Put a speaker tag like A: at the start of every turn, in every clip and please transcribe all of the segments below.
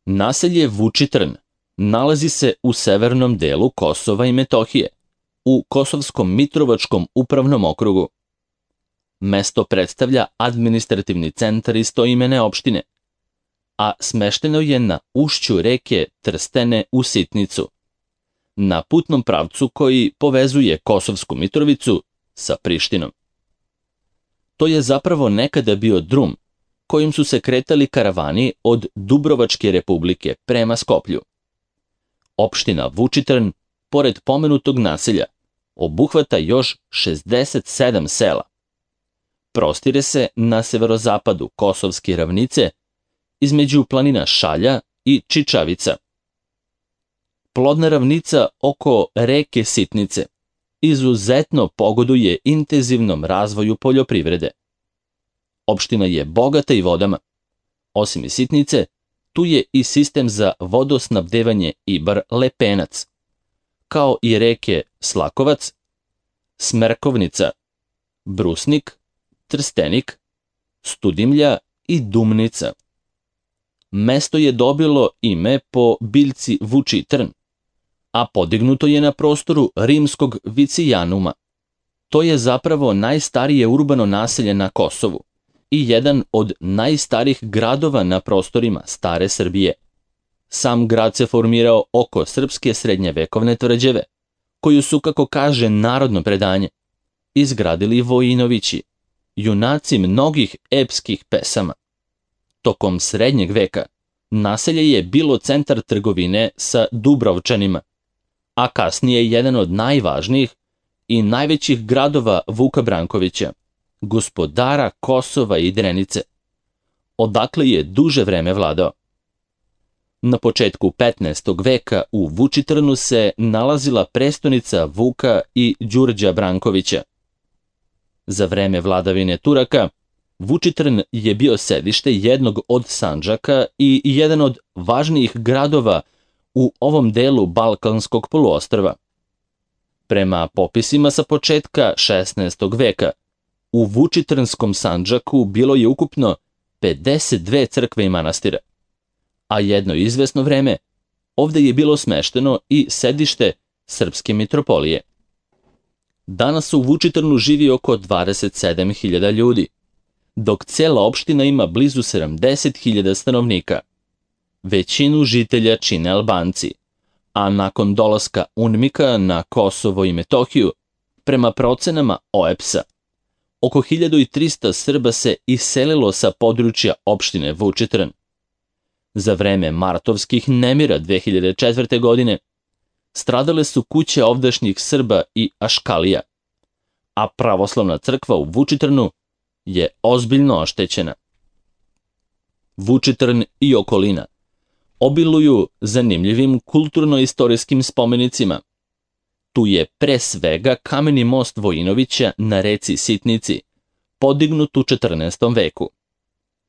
A: Naselje Vučitrn nalazi se u severnom delu Kosova i Metohije, u Kosovskom Mitrovačkom upravnom okrugu. Mesto predstavlja administrativni centar istoimene opštine, a smešteno je na ušću reke Trstene u Sitnicu, na putnom pravcu koji povezuje Kosovsku Mitrovicu sa Prištinom. To je zapravo nekada bio drum kojim su se kretali karavani od Dubrovačke republike prema Skoplju. Opština Vučitrn, pored pomenutog naselja, obuhvata još 67 sela. Prostire se na severozapadu Kosovske ravnice, između planina Šalja i Čičavica. Plodna ravnica oko reke Sitnice izuzetno pogoduje intenzivnom razvoju poljoprivrede. Opština je bogata i vodama. Osim iz Sitnice, tu je i sistem za vodosnabdevanje Ibar-Lepenac, kao i reke Slakovac, Smerkovnica, Brusnik, Trstenik, Studimlja i Dumnica. Mesto je dobilo ime po biljci Vučitrn, a podignuto je na prostoru rimskog Vicijanuma. To je zapravo najstarije urbano naselje na Kosovu i jedan od najstarijih gradova na prostorima stare Srbije. Sam grad se formirao oko srpske srednjevekovne tvrđave, koju su, kako kaže narodno predanje, izgradili Vojinovići, junaci mnogih epskih pesama. Tokom srednjeg veka naselje je bilo centar trgovine sa Dubrovčanima, a kasnije jedan od najvažnijih i najvećih gradova Vuka Brankovića, gospodara Kosova i Drenice, odakle je duže vreme vladao. Na početku 15. veka u Vučitrnu se nalazila prestonica Vuka i Đurđa Brankovića. Za vreme vladavine Turaka, Vučitrn je bio sedište jednog od Sandžaka i jedan od važnijih gradova u ovom delu Balkanskog poluostrva. Prema popisima sa početka 16. veka, u Vučitrnskom Sandžaku bilo je ukupno 52 crkve i manastira, a jedno izvesno vreme ovde je bilo smešteno i sedište Srpske mitropolije. Danas u Vučitrnu živi oko 27.000 ljudi, dok cela opština ima blizu 70.000 stanovnika. Većinu žitelja čine Albanci, a nakon dolaska UNMIK-a na Kosovo i Metohiju, prema procenama OEBS-a, oko 1300 Srba se iselilo sa područja opštine Vučitrn. Za vreme martovskih nemira 2004. godine stradale su kuće ovdašnjih Srba i Aškalija, a pravoslavna crkva u Vučitrnu je ozbiljno oštećena. Vučitrn i okolina obiluju zanimljivim kulturno-istorijskim spomenicima. Tu je pre svega kameni most Vojinovića na reci Sitnici, podignut u 14. veku.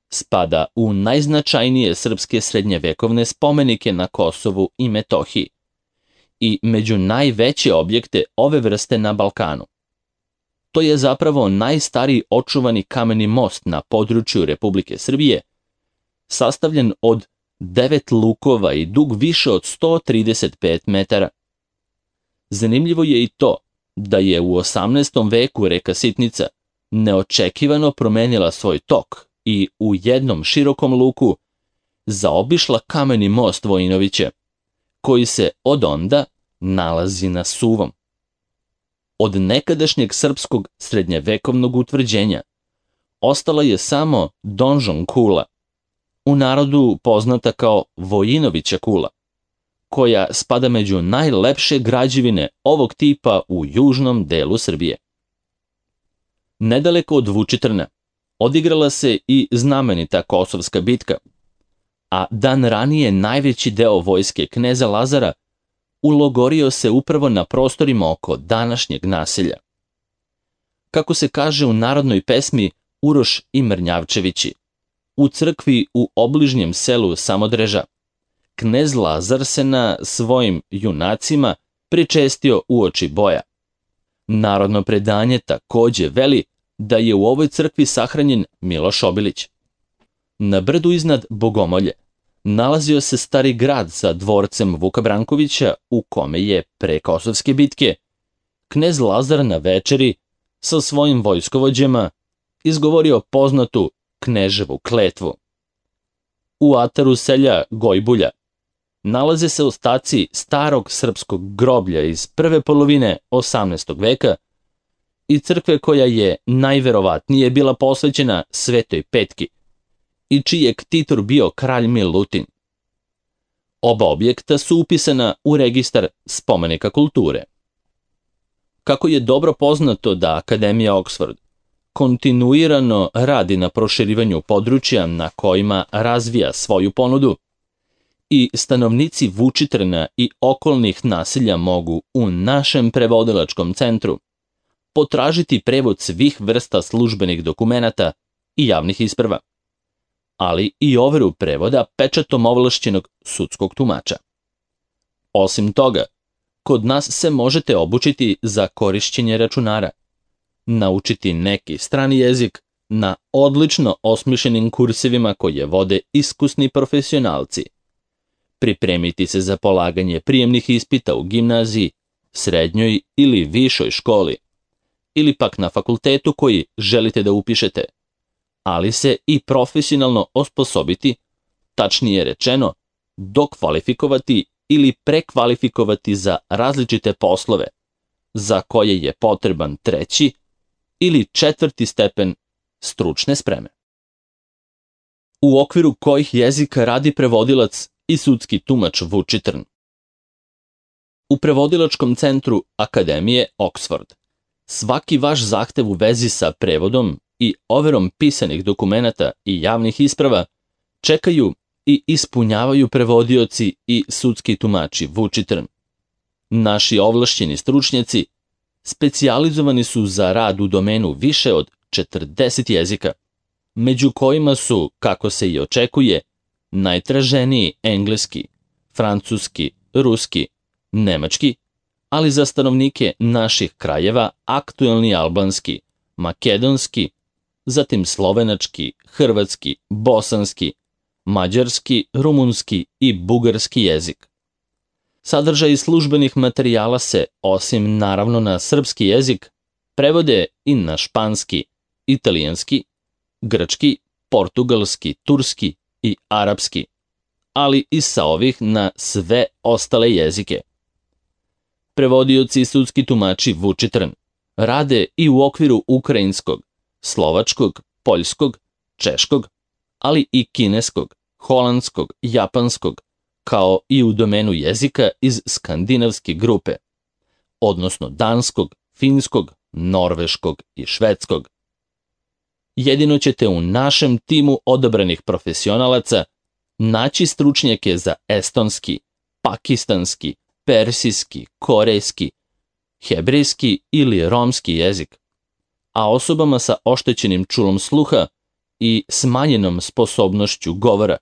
A: Spada u najznačajnije srpske srednjevekovne spomenike na Kosovu i Metohiji i među najveće objekte ove vrste na Balkanu. To je zapravo najstariji očuvani kameni most na području Republike Srbije, sastavljen od 9 lukova i dug više od 135 metara. Zanimljivo je i to da je u 18. veku reka Sitnica neočekivano promenila svoj tok i u jednom širokom luku zaobišla kameni most Vojinovića, koji se od onda nalazi na Suvom. Od nekadašnjeg srpskog srednjevekovnog utvrđenja ostala je samo donžon kula, u narodu poznata kao Vojinovića kula, koja spada među najlepše građevine ovog tipa u južnom delu Srbije. Nedaleko od Vučitrna odigrala se i znamenita Kosovska bitka, a dan ranije najveći deo vojske kneza Lazara ulogorio se upravo na prostorima oko današnjeg naselja. Kako se kaže u narodnoj pesmi Uroš i Mrnjavčevići, u crkvi u obližnjem selu Samodreža, knez Lazar se na svojim junacima pričestio uoči boja. Narodno predanje takođe veli da je u ovoj crkvi sahranjen Miloš Obilić. Na brdu iznad Bogomolje nalazio se Stari grad sa dvorcem Vuka Brankovića, u kome je pre Kosovske bitke knez Lazar na večeri sa svojim vojskovođama izgovorio poznatu kneževu kletvu. U ataru selja Gojbulja nalaze se ostaci starog srpskog groblja iz prve polovine 18. veka i crkve koja je najverovatnije bila posvećena Svetoj Petki i čiji je ktitor bio kralj Milutin. Oba objekta su upisana u registar spomenika kulture. Kako je dobro poznato da Akademija Oxford kontinuirano radi na proširivanju područja na kojima razvija svoju ponudu, i stanovnici Vučitrna i okolnih naselja mogu u našem prevodilačkom centru potražiti prevod svih vrsta službenih dokumenata i javnih isprava, ali i overu prevoda pečatom ovlašćenog sudskog tumača. Osim toga, kod nas se možete obučiti za korišćenje računara, naučiti neki strani jezik na odlično osmišljenim kursevima koje vode iskusni profesionalci, pripremiti se za polaganje prijemnih ispita u gimnaziji, srednjoj ili višoj školi, ili pak na fakultetu koji želite da upišete, ali se i profesionalno osposobiti, tačnije rečeno, dokvalifikovati ili prekvalifikovati za različite poslove, za koje je potreban 3. ili 4. stepen stručne spreme. U okviru kojih jezika radi prevodilac i sudski tumač Vučitrn? U prevodilačkom centru Akademije Oxford svaki vaš zahtev u vezi sa prevodom i overom pisanih dokumenata i javnih isprava čekaju i ispunjavaju prevodioci i sudski tumači Vučitrn. Naši ovlašćeni stručnjaci specijalizovani su za rad u domenu više od 40 jezika, među kojima su, kako se i očekuje, najtraženiji engleski, francuski, ruski, nemački, ali za stanovnike naših krajeva aktuelni albanski, makedonski, zatim slovenački, hrvatski, bosanski, mađarski, rumunski i bugarski jezik. Sadržaj službenih materijala se, osim naravno na srpski jezik, prevode i na španski, italijanski, grčki, portugalski, turski i arapski, ali i sa ovih na sve ostale jezike. Prevodioci i sudski tumači Vučitrn rade i u okviru ukrajinskog, slovačkog, poljskog, češkog, ali i kineskog, holandskog, japanskog, kao i u domenu jezika iz skandinavske grupe, odnosno danskog, finskog, norveškog i švedskog. Jedino ćete u našem timu odabranih profesionalaca naći stručnjake za estonski, pakistanski, persijski, korejski, hebrejski ili romski jezik, a osobama sa oštećenim čulom sluha i smanjenom sposobnošću govora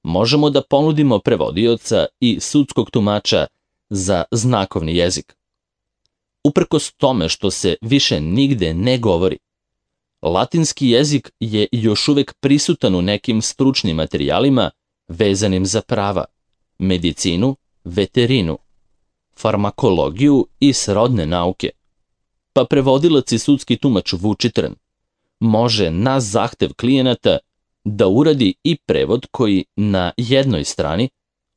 A: možemo da ponudimo prevodioca i sudskog tumača za znakovni jezik. Uprkos tome što se više nigde ne govori, latinski jezik je još uvek prisutan u nekim stručnim materijalima vezanim za prava, medicinu, veterinu, farmakologiju i srodne nauke, pa prevodilac i sudski tumač Vučitrn može na zahtev klijenata da uradi i prevod koji na jednoj strani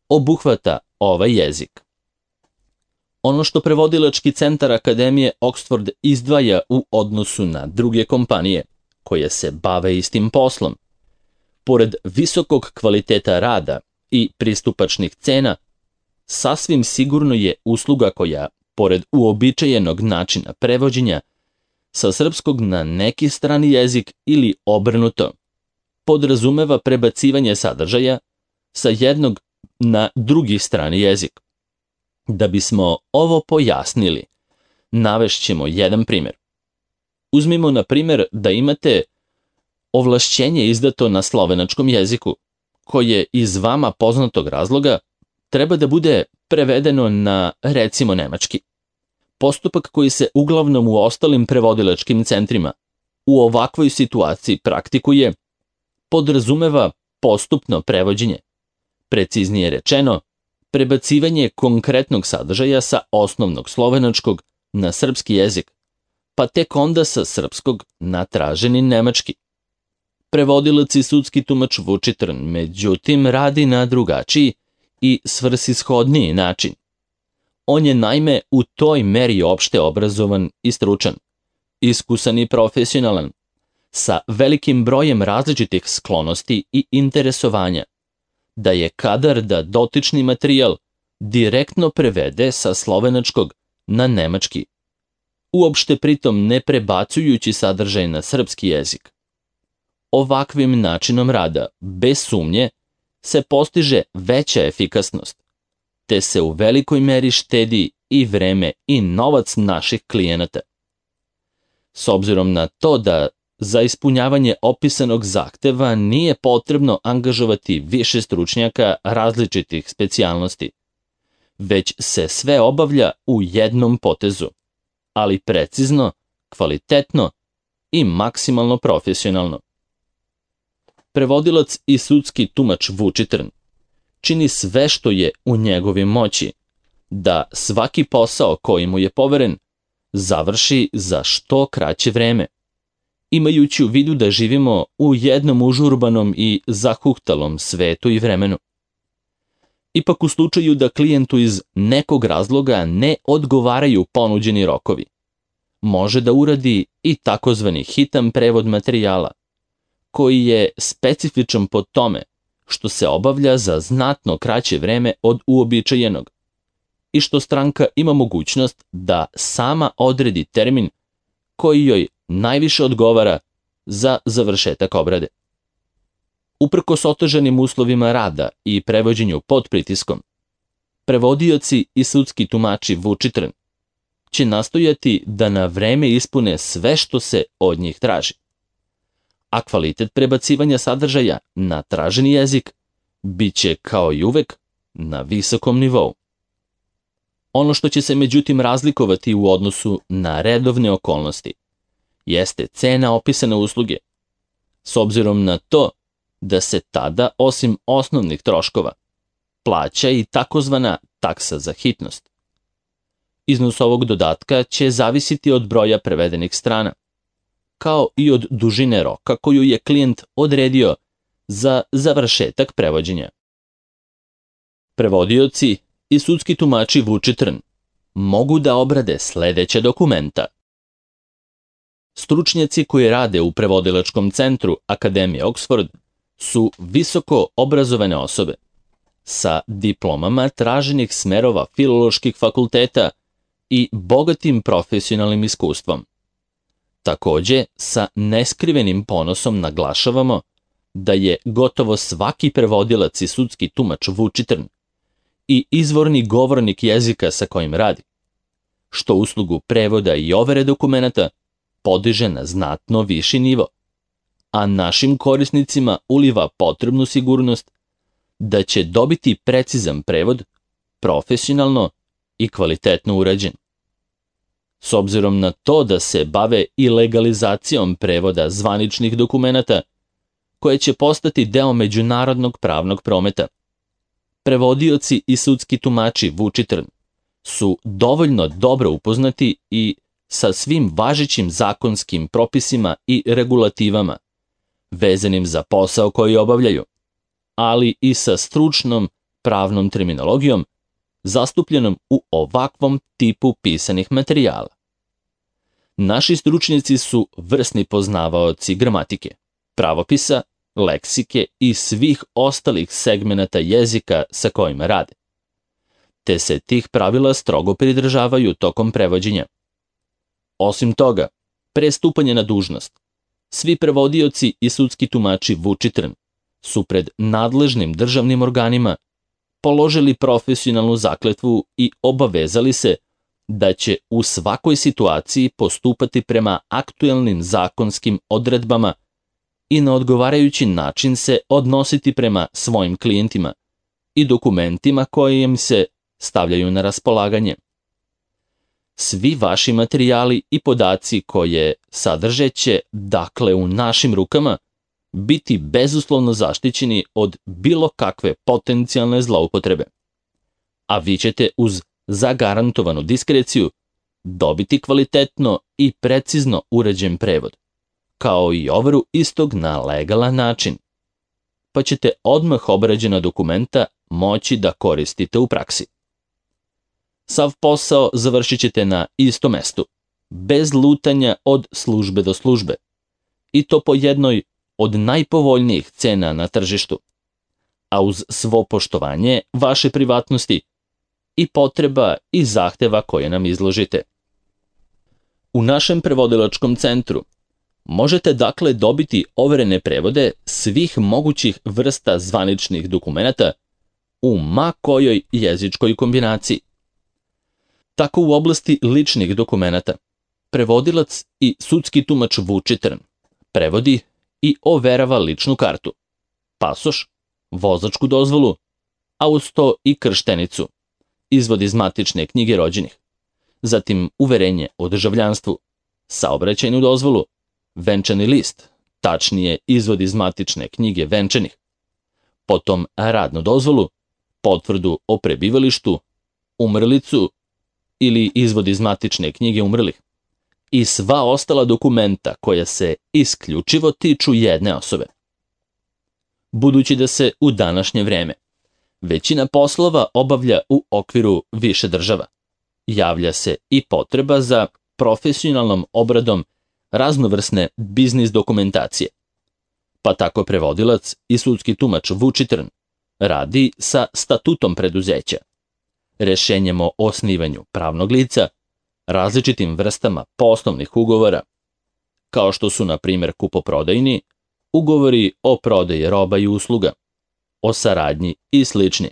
A: obuhvata ovaj jezik. Ono što prevodilački centar Akademije Oxford izdvaja u odnosu na druge kompanije koje se bave istim poslom, pored visokog kvaliteta rada i pristupačnih cena, sasvim sigurno je usluga koja, pored uobičajenog načina prevođenja, sa srpskog na neki strani jezik ili obrnuto, podrazumeva prebacivanje sadržaja sa jednog na drugi strani jezik. Da bismo ovo pojasnili, navešćemo jedan primjer. Uzmimo na primjer da imate ovlašćenje izdato na slovenačkom jeziku, koje iz vama poznatog razloga treba da bude prevedeno na, recimo, nemački. Postupak koji se uglavnom u ostalim prevodilačkim centrima u ovakvoj situaciji praktikuje, podrazumeva postupno prevođenje, Preciznije rečeno, prebacivanje konkretnog sadržaja sa osnovnog slovenačkog na srpski jezik, pa tek onda sa srpskog na traženi nemački. Prevodilac i sudski tumač Vučitrn, međutim, radi na drugačiji i svrsishodniji način. On je naime u toj meri opšte obrazovan i stručan, iskusan i profesionalan, sa velikim brojem različitih sklonosti i interesovanja, da je kadar da dotični materijal direktno prevede sa slovenačkog na nemački, uopšte pritom ne prebacujući sadržaj na srpski jezik. Ovakvim načinom rada, bez sumnje, se postiže veća efikasnost, te se u velikoj meri štedi i vreme i novac naših klijenata. S obzirom na to da za ispunjavanje opisanog zahteva nije potrebno angažovati više stručnjaka različitih specijalnosti, već se sve obavlja u jednom potezu, ali precizno, kvalitetno i maksimalno profesionalno. Prevodilac i sudski tumač Vučitrn čini sve što je u njegovoj moći da svaki posao koji mu je poveren završi za što kraće vreme, imajući u vidu da živimo u jednom užurbanom i zahuhtalom svetu i vremenu. Ipak u slučaju da klijentu iz nekog razloga ne odgovaraju ponuđeni rokovi, može da uradi i takozvani hitan prevod materijala, koji je specifičan po tome što se obavlja za znatno kraće vreme od uobičajenog i što stranka ima mogućnost da sama odredi termin koji joj najviše odgovara za završetak obrade. Uprkos otežanim uslovima rada i prevođenju pod pritiskom, prevodioci i sudski tumači Vučitrn će nastojati da na vreme ispune sve što se od njih traži, a kvalitet prebacivanja sadržaja na traženi jezik biće kao i uvek na visokom nivou. Ono što će se međutim razlikovati u odnosu na redovne okolnosti jeste cena opisane usluge, s obzirom na to da se tada, osim osnovnih troškova, plaća i takozvana taksa za hitnost. Iznos ovog dodatka će zavisiti od broja prevedenih strana, kao i od dužine roka koju je klijent odredio za završetak prevođenja. Prevodioci i sudski tumači Vučitrn mogu da obrade sledeća dokumenta. Stručnjaci koji rade u prevodilačkom centru Akademije Oxford su visoko obrazovane osobe sa diplomama traženih smerova filoloških fakulteta i bogatim profesionalnim iskustvom. Takođe, sa neskrivenim ponosom naglašavamo da je gotovo svaki prevodilac i sudski tumač Vučitrn i izvorni govornik jezika sa kojim radi, što uslugu prevoda i overe dokumenata podiže na znatno viši nivo, a našim korisnicima uliva potrebnu sigurnost da će dobiti precizan prevod, profesionalno i kvalitetno urađen. S obzirom na to da se bave i legalizacijom prevoda zvaničnih dokumenata, koje će postati deo međunarodnog pravnog prometa, prevodioci i sudski tumači Vučitrn su dovoljno dobro upoznati i sa svim važećim zakonskim propisima i regulativama vezanim za posao koji obavljaju, ali i sa stručnom pravnom terminologijom zastupljenom u ovakvom tipu pisanih materijala. Naši stručnjaci su vrsni poznavaoci gramatike, pravopisa, leksike i svih ostalih segmenata jezika sa kojima rade, te se tih pravila strogo pridržavaju tokom prevođenja. Osim toga, pre stupanja na dužnost, svi prevodioci i sudski tumači Vučitrn su pred nadležnim državnim organima položili profesionalnu zakletvu i obavezali se da će u svakoj situaciji postupati prema aktuelnim zakonskim odredbama i na odgovarajući način se odnositi prema svojim klijentima i dokumentima koje im se stavljaju na raspolaganje. Svi vaši materijali i podaci koje sadrže će, dakle, u našim rukama, biti bezuslovno zaštićeni od bilo kakve potencijalne zloupotrebe. A vi ćete uz zagarantovanu diskreciju dobiti kvalitetno i precizno uređen prevod, kao i overu istog na legalan način, pa ćete odmah obrađena dokumenta moći da koristite u praksi. Sav posao završit ćete na istom mestu, bez lutanja od službe do službe, i to po jednoj od najpovoljnijih cena na tržištu, a uz svo poštovanje vaše privatnosti i potreba i zahteva koje nam izložite. U našem prevodilačkom centru možete dakle dobiti overene prevode svih mogućih vrsta zvaničnih dokumenata u ma kojoj jezičkoj kombinaciji. Tako u oblasti ličnih dokumenata prevodilac i sudski tumač Vučitrn prevodi i overava ličnu kartu, pasoš, vozačku dozvolu, a uz to i krštenicu, izvod iz matične knjige rođenih, zatim uverenje o državljanstvu, saobraćajnu dozvolu, venčani list, tačnije izvod iz matične knjige venčanih, potom radnu dozvolu, potvrdu o prebivalištu, umrlicu ili izvod iz matične knjige umrlih i sva ostala dokumenta koja se isključivo tiču jedne osobe. Budući da se u današnje vreme većina poslova obavlja u okviru više država, javlja se i potreba za profesionalnom obradom raznovrsne biznis dokumentacije, pa tako prevodilac i sudski tumač Vučitrn radi sa statutom preduzeća, rešenjem o osnivanju pravnog lica, različitim vrstama poslovnih ugovora, kao što su, na primjer, kupoprodajni, ugovori o prodaji roba i usluga, o saradnji i slični.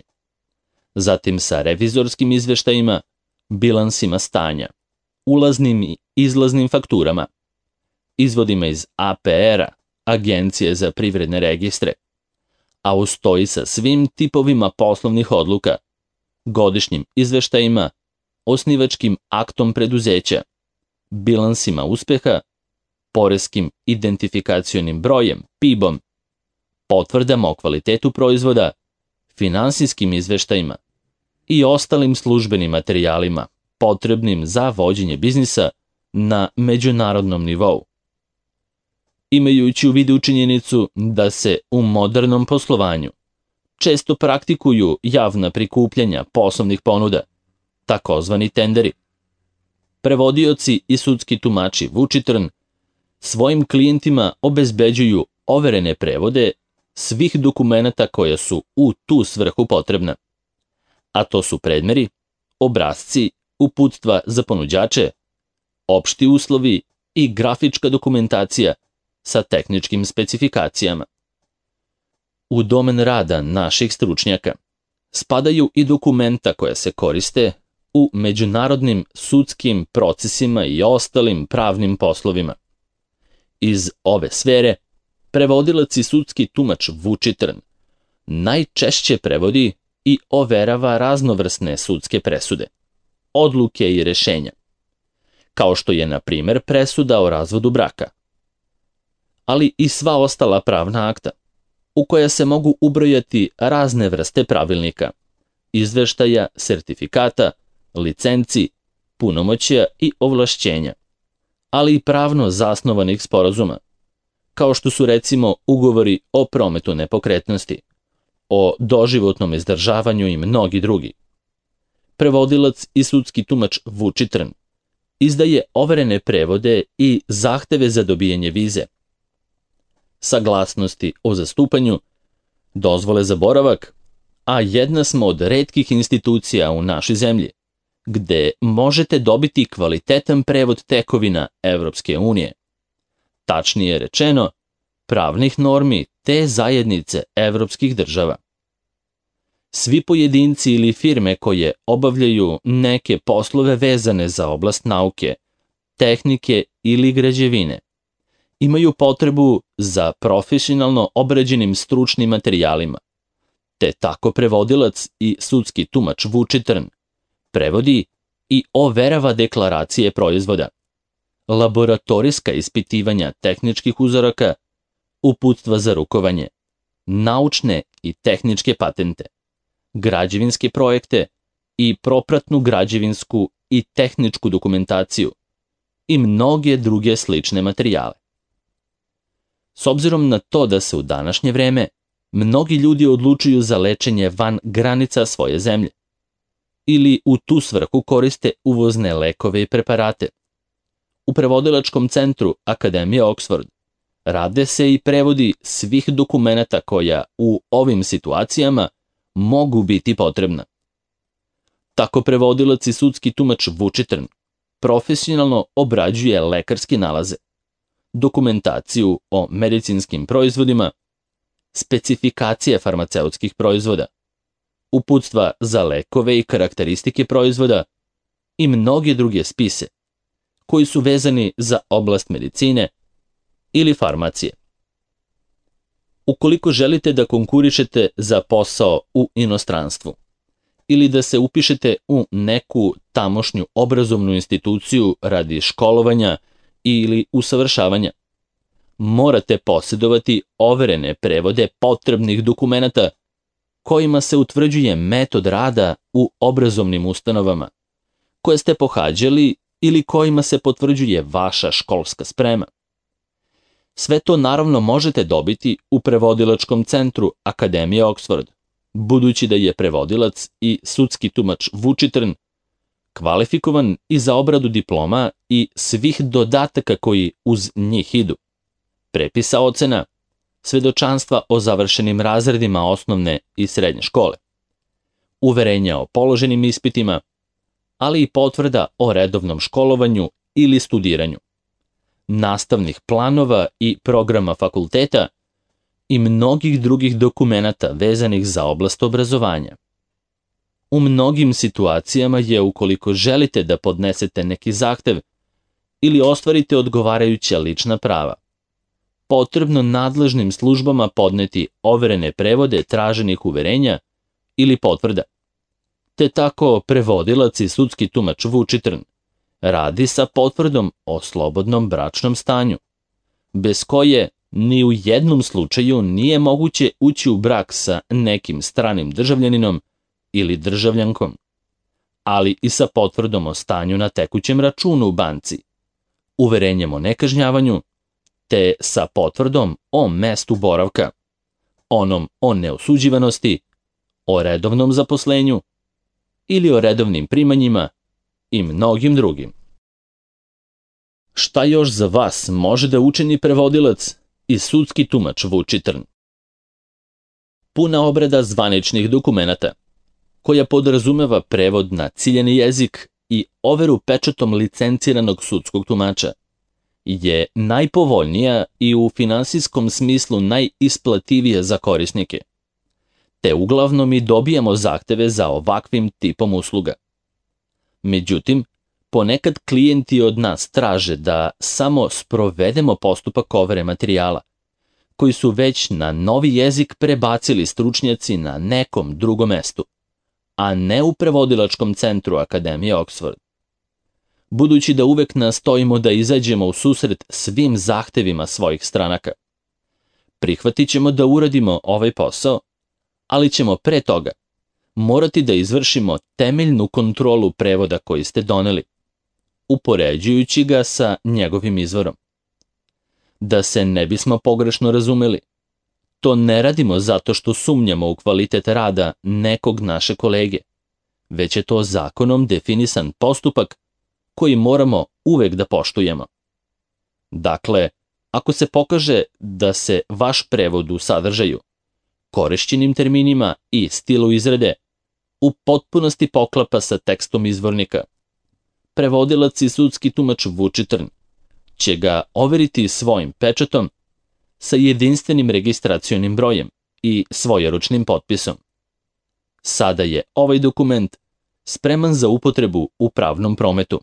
A: Zatim sa revizorskim izveštajima, bilansima stanja, ulaznim i izlaznim fakturama, izvodima iz APR-a, Agencije za privredne registre, a uz to i sa svim tipovima poslovnih odluka, godišnjim izveštajima, osnivačkim aktom preduzeća, bilansima uspeha, poreskim identifikacionim brojem, PIB-om, potvrdama o kvalitetu proizvoda, finansijskim izveštajima i ostalim službenim materijalima potrebnim za vođenje biznisa na međunarodnom nivou. Imajući u vidu činjenicu da se u modernom poslovanju često praktikuju javna prikupljanja poslovnih ponuda, takozvani tenderi, prevodioci i sudski tumači Vučitrn svojim klijentima obezbeđuju overene prevode svih dokumenata koja su u tu svrhu potrebna, a to su predmeri, obrasci, uputstva za ponuđače, opšti uslovi i grafička dokumentacija sa tehničkim specifikacijama. U domen rada naših stručnjaka spadaju i dokumenta koja se koriste u međunarodnim sudskim procesima i ostalim pravnim poslovima. Iz ove sfere prevodilac i sudski tumač Vučitrn najčešće prevodi i overava raznovrsne sudske presude, odluke i rešenja, kao što je, na primjer, presuda o razvodu braka, ali i sva ostala pravna akta, u koja se mogu ubrojati razne vrste pravilnika, izveštaja, sertifikata, licenci, punomoćja i ovlašćenja, ali i pravno zasnovanih sporazuma, kao što su recimo ugovori o prometu nepokretnosti, o doživotnom izdržavanju i mnogi drugi. Prevodilac i sudski tumač Vučitrn izdaje overene prevode i zahteve za dobijanje vize, saglasnosti o zastupanju, dozvole za boravak, a jedna smo od retkih institucija u našoj zemlji gde možete dobiti kvalitetan prevod tekovina Evropske unije, tačnije rečeno, pravnih normi te zajednice evropskih država. Svi pojedinci ili firme koje obavljaju neke poslove vezane za oblast nauke, tehnike ili građevine imaju potrebu za profesionalno obrađenim stručnim materijalima, te tako prevodilac i sudski tumač Vučitrn prevodi i overava deklaracije proizvoda, laboratorijska ispitivanja tehničkih uzoraka, uputstva za rukovanje, naučne i tehničke patente, građevinske projekte i propratnu građevinsku i tehničku dokumentaciju i mnoge druge slične materijale. S obzirom na to da se u današnje vreme mnogi ljudi odlučuju za lečenje van granica svoje zemlje ili u tu svrhu koriste uvozne lekove i preparate, u prevodilačkom centru Akademije Oxford rade se i prevodi svih dokumenata koja u ovim situacijama mogu biti potrebna. Tako prevodilac i sudski tumač Vučitrn profesionalno obrađuje lekarske nalaze, dokumentaciju o medicinskim proizvodima, specifikacije farmaceutskih proizvoda, uputstva za lekove i karakteristike proizvoda i mnoge druge spise koji su vezani za oblast medicine ili farmacije. Ukoliko želite da konkurišete za posao u inostranstvu ili da se upišete u neku tamošnju obrazovnu instituciju radi školovanja ili usavršavanja, morate posjedovati overene prevode potrebnih dokumenata kojima se utvrđuje metod rada u obrazovnim ustanovama koje ste pohađali ili kojima se potvrđuje vaša školska sprema. Sve to naravno možete dobiti u prevodilačkom centru Akademije Oxford, budući da je prevodilac i sudski tumač Vučitrn kvalifikovan i za obradu diploma i svih dodataka koji uz njih idu, prepisa ocena, svedočanstva o završenim razredima osnovne i srednje škole, uverenja o položenim ispitima, ali i potvrda o redovnom školovanju ili studiranju, nastavnih planova i programa fakulteta i mnogih drugih dokumenata vezanih za oblast obrazovanja. U mnogim situacijama je, ukoliko želite da podnesete neki zahtev ili ostvarite odgovarajuća lična prava, potrebno nadležnim službama podneti overene prevode traženih uverenja ili potvrda. Te tako prevodilac i sudski tumač Vučitrn radi sa potvrdom o slobodnom bračnom stanju, bez koje ni u jednom slučaju nije moguće ući u brak sa nekim stranim državljaninom ili državljankom, ali i sa potvrdom o stanju na tekućem računu u banci, uverenjem o nekažnjavanju, te sa potvrdom o mestu boravka, onom o neosuđivanosti, o redovnom zaposlenju ili o redovnim primanjima i mnogim drugim. Šta još za vas može da učini prevodilac i sudski tumač Vučitrn? Puna obrada zvaničnih dokumenata, koja podrazumeva prevod na ciljani jezik i overu pečatom licenciranog sudskog tumača, je najpovoljnija i u finansijskom smislu najisplativija za korisnike, te uglavnom i dobijamo zahteve za ovakvim tipom usluga. Međutim, ponekad klijenti od nas traže da samo sprovedemo postupak overe materijala, koji su već na novi jezik prebacili stručnjaci na nekom drugom mestu, a ne u prevodilačkom centru Akademije Oxford. Budući da uvek nastojimo da izađemo u susret svim zahtevima svojih stranaka, prihvatit ćemo da uradimo ovaj posao, ali ćemo pre toga morati da izvršimo temeljnu kontrolu prevoda koji ste doneli, upoređujući ga sa njegovim izvorom. Da se ne bismo pogrešno razumeli, to ne radimo zato što sumnjamo u kvalitet rada nekog naše kolege, već je to zakonom definisan postupak koji moramo uvek da poštujemo. Dakle, ako se pokaže da se vaš prevod u sadržaju, korišćenim terminima i stilu izrade u potpunosti poklapa sa tekstom izvornika, prevodilac i sudski tumač Vučitrn će ga overiti svojim pečatom sa jedinstvenim registracionim brojem i svojeručnim potpisom. Sada je ovaj dokument spreman za upotrebu u pravnom prometu,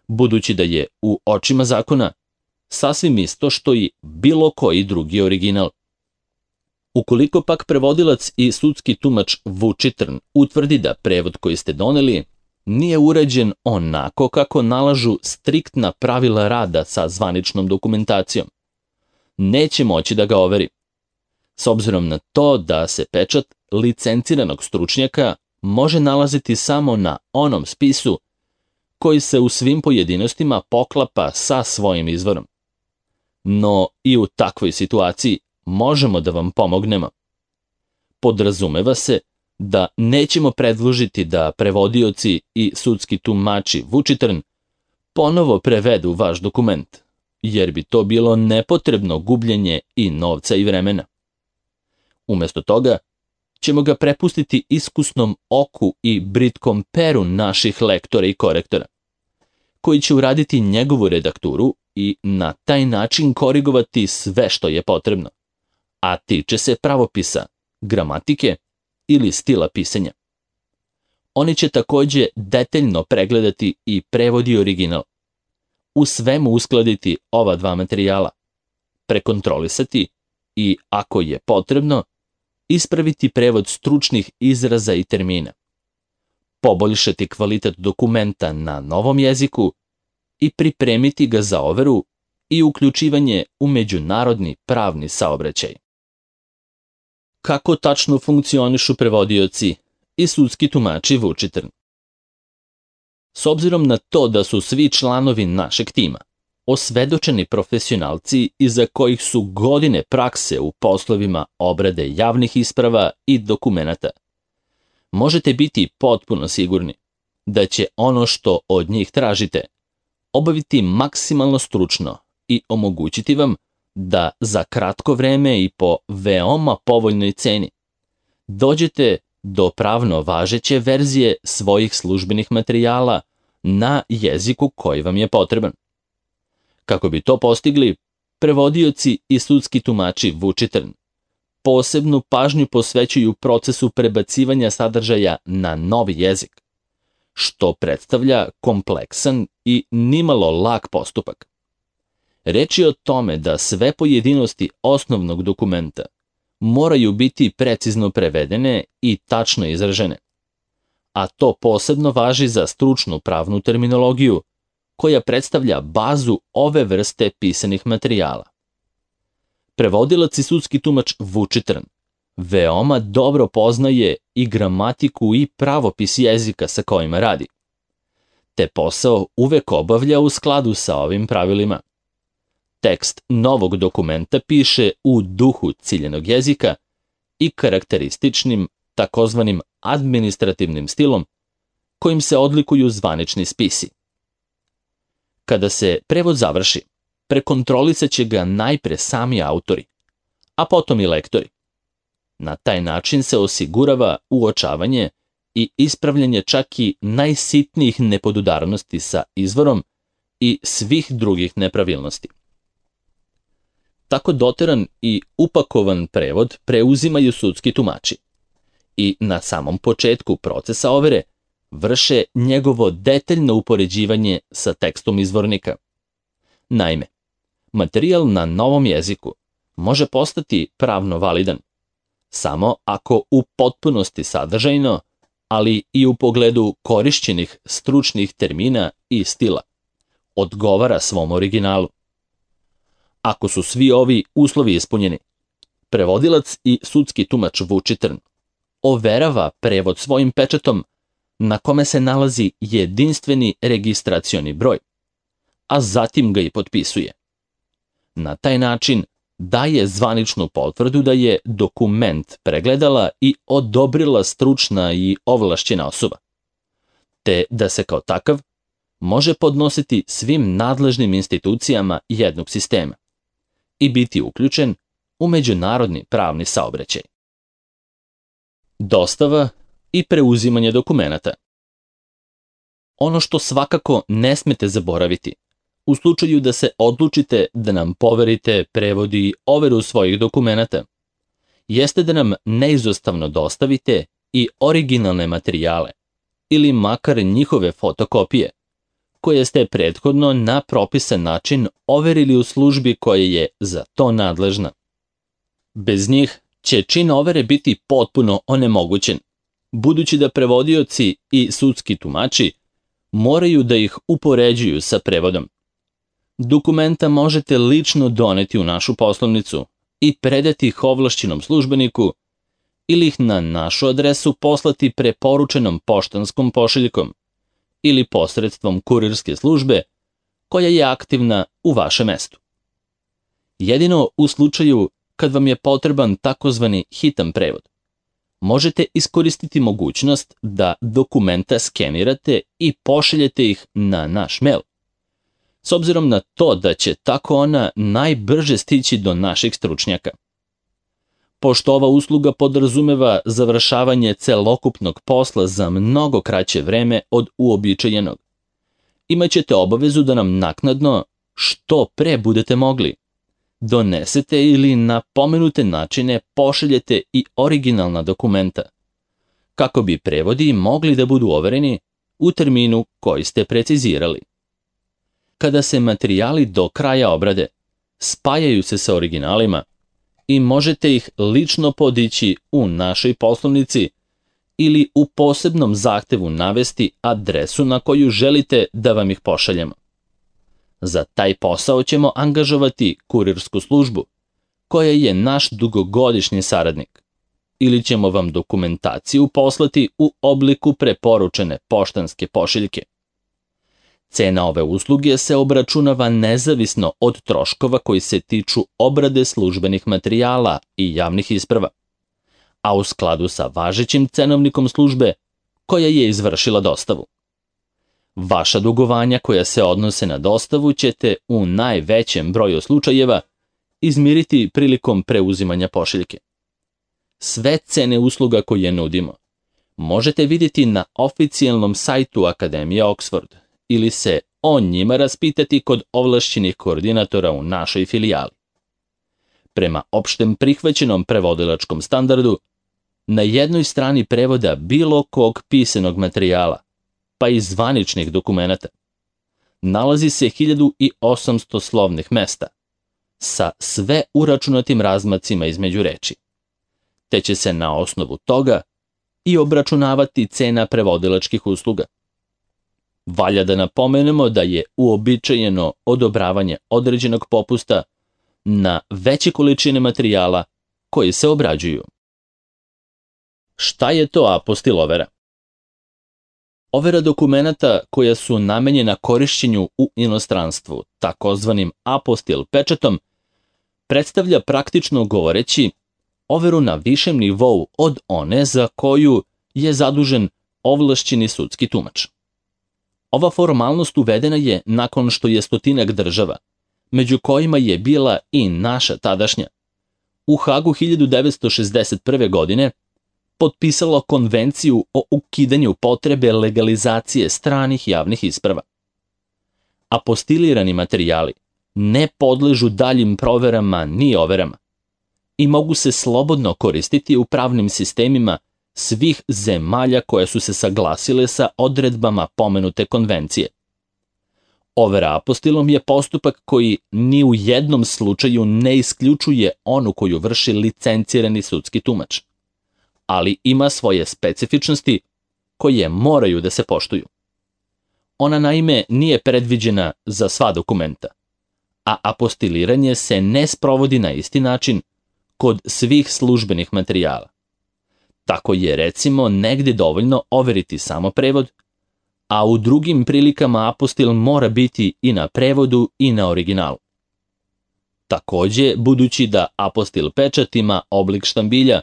A: budući da je u očima zakona sasvim isto što i bilo koji drugi original. Ukoliko pak prevodilac i sudski tumač Vučitrn utvrdi da prevod koji ste doneli nije urađen onako kako nalažu striktna pravila rada sa zvaničnom dokumentacijom, neće moći da ga overi, s obzirom na to da se pečat licenciranog stručnjaka može nalaziti samo na onom spisu koji se u svim pojedinostima poklapa sa svojim izvorom. No i u takvoj situaciji možemo da vam pomognemo. Podrazumeva se da nećemo predložiti da prevodioci i sudski tumači Vučitrn ponovo prevedu vaš dokument, jer bi to bilo nepotrebno gubljenje i novca i vremena. Umesto toga, ćemo ga prepustiti iskusnom oku i britkom peru naših lektora i korektora, koji će uraditi njegovu redakturu i na taj način korigovati sve što je potrebno, a tiče se pravopisa, gramatike ili stila pisanja. Oni će takođe detaljno pregledati i prevod i original, u svemu uskladiti ova dva materijala, prekontrolisati i, ako je potrebno, ispraviti prevod stručnih izraza i termina, poboljšati kvalitet dokumenta na novom jeziku i pripremiti ga za overu i uključivanje u međunarodni pravni saobraćaj. Kako tačno funkcionišu prevodioci i sudski tumači Vučitrn? S obzirom na to da su svi članovi našeg tima osvedočeni profesionalci iza kojih su godine prakse u poslovima obrade javnih isprava i dokumenata, možete biti potpuno sigurni da će ono što od njih tražite obaviti maksimalno stručno i omogućiti vam da za kratko vreme i po veoma povoljnoj ceni dođete do pravno važeće verzije svojih službenih materijala na jeziku koji vam je potreban. Kako bi to postigli, prevodioci i sudski tumači Vučitrn posebnu pažnju posvećuju procesu prebacivanja sadržaja na novi jezik, što predstavlja kompleksan i nimalo lak postupak. Reč je o tome da sve pojedinosti osnovnog dokumenta moraju biti precizno prevedene i tačno izražene, a to posebno važi za stručnu pravnu terminologiju, koja predstavlja bazu ove vrste pisanih materijala. Prevodilac i sudski tumač Vučitrn veoma dobro poznaje i gramatiku i pravopis jezika sa kojima radi, te posao uvek obavlja u skladu sa ovim pravilima. Tekst novog dokumenta piše u duhu ciljenog jezika i karakterističnim takozvanim administrativnim stilom kojim se odlikuju zvanični spisi. Kada se prevod završi, prekontrolisat će ga najpre sami autori, a potom i lektori. Na taj način se osigurava uočavanje i ispravljanje čak i najsitnijih nepodudarnosti sa izvorom i svih drugih nepravilnosti. Tako doteran i upakovan prevod preuzimaju sudski tumači i na samom početku procesa overe vrše njegovo detaljno upoređivanje sa tekstom izvornika. Naime, materijal na novom jeziku može postati pravno validan samo ako u potpunosti sadržajno, ali i u pogledu korišćenih stručnih termina i stila, odgovara svom originalu. Ako su svi ovi uslovi ispunjeni, prevodilac i sudski tumač Vučitrn overava prevod svojim pečatom na kome se nalazi jedinstveni registracioni broj, a zatim ga i potpisuje. Na taj način daje zvaničnu potvrdu da je dokument pregledala i odobrila stručna i ovlašćena osoba, te da se kao takav može podnositi svim nadležnim institucijama jednog sistema i biti uključen u međunarodni pravni saobraćaj. Dostava i preuzimanje dokumenata. Ono što svakako ne smete zaboraviti, u slučaju da se odlučite da nam poverite prevod i overu svojih dokumenata, jeste da nam neizostavno dostavite i originalne materijale, ili makar njihove fotokopije, koje ste prethodno na propisan način overili u službi koja je za to nadležna. Bez njih će čin overe biti potpuno onemogućen, budući da prevodioci i sudski tumači moraju da ih upoređuju sa prevodom. Dokumenta možete lično doneti u našu poslovnicu i predati ih ovlašćenom službeniku ili ih na našu adresu poslati preporučenom poštanskom pošiljkom ili posredstvom kurirske službe koja je aktivna u vašem mestu. Jedino u slučaju kad vam je potreban takozvani hitan prevod, možete iskoristiti mogućnost da dokumenta skenirate i pošaljete ih na naš mail, s obzirom na to da će tako ona najbrže stići do naših stručnjaka. Pošto ova usluga podrazumeva završavanje celokupnog posla za mnogo kraće vreme od uobičajenog, imaćete obavezu da nam naknadno, što pre budete mogli, donesete ili na pomenute načine pošaljete i originalna dokumenta, kako bi prevodi mogli da budu overeni u terminu koji ste precizirali. Kada se materijali do kraja obrade, spajaju se sa originalima i možete ih lično podići u našoj poslovnici ili u posebnom zahtevu navesti adresu na koju želite da vam ih pošaljemo. Za taj posao ćemo angažovati kurirsku službu, koja je naš dugogodišnji saradnik, ili ćemo vam dokumentaciju poslati u obliku preporučene poštanske pošiljke. Cena ove usluge se obračunava nezavisno od troškova koji se tiču obrade službenih materijala i javnih isprava, a u skladu sa važećim cenovnikom službe koja je izvršila dostavu. Vaša dugovanja koja se odnose na dostavu ćete u najvećem broju slučajeva izmiriti prilikom preuzimanja pošiljke. Sve cene usluga koje nudimo možete vidjeti na oficijalnom sajtu Akademije Oxford ili se o njima raspitati kod ovlašćenih koordinatora u našoj filijali. Prema opštem prihvaćenom prevodilačkom standardu, na jednoj strani prevoda bilo kog pisanog materijala, pa i zvaničnih dokumenata, nalazi se 1800 slovnih mesta, sa sve uračunatim razmacima između reči, te će se na osnovu toga i obračunavati cena prevodilačkih usluga. Valja da napomenemo da je uobičajeno odobravanje određenog popusta na veće količine materijala koji se obrađuju. Šta je to apostil overa? Overa dokumenata koja su namenjena korišćenju u inostranstvu, takozvanim apostil pečatom, predstavlja praktično govoreći overu na višem nivou od one za koju je zadužen ovlašćeni sudski tumač. Ova formalnost uvedena je nakon što je stotinak država, među kojima je bila i naša tadašnja, u Hagu 1961. godine potpisalo konvenciju o ukidanju potrebe legalizacije stranih javnih isprava. Apostilirani materijali ne podležu daljim proverama ni overama i mogu se slobodno koristiti u pravnim sistemima svih zemalja koje su se saglasile sa odredbama pomenute konvencije. Overa apostilom je postupak koji ni u jednom slučaju ne isključuje onu koju vrši licencirani sudski tumač, ali ima svoje specifičnosti koje moraju da se poštuju. Ona naime nije predviđena za sva dokumenta, a apostiliranje se ne sprovodi na isti način kod svih službenih materijala. Tako je recimo negde dovoljno overiti samo prevod, a u drugim prilikama apostil mora biti i na prevodu i na originalu. Takođe, budući da apostil pečat ima oblik štambilja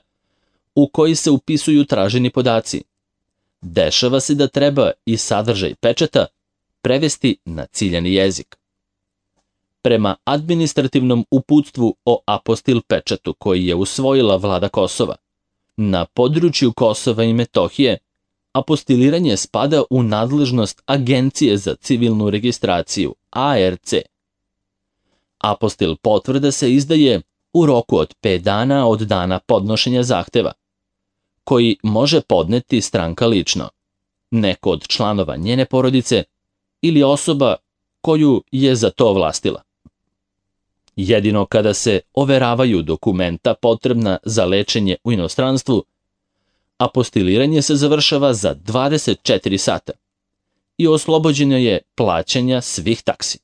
A: u koji se upisuju traženi podaci, dešava se da treba i sadržaj pečata prevesti na ciljani jezik. Prema administrativnom uputstvu o apostil pečatu koji je usvojila vlada Kosova, na području Kosova i Metohije apostiliranje spada u nadležnost Agencije za civilnu registraciju, ARC. Apostil potvrda se izdaje u roku od 5 dana od dana podnošenja zahteva, koji može podneti stranka lično, neko od članova njene porodice ili osoba koju je za to ovlastila. Jedino kada se overavaju dokumenta potrebna za lečenje u inostranstvu, apostiliranje se završava za 24 sata i oslobođeno je plaćanja svih taksi.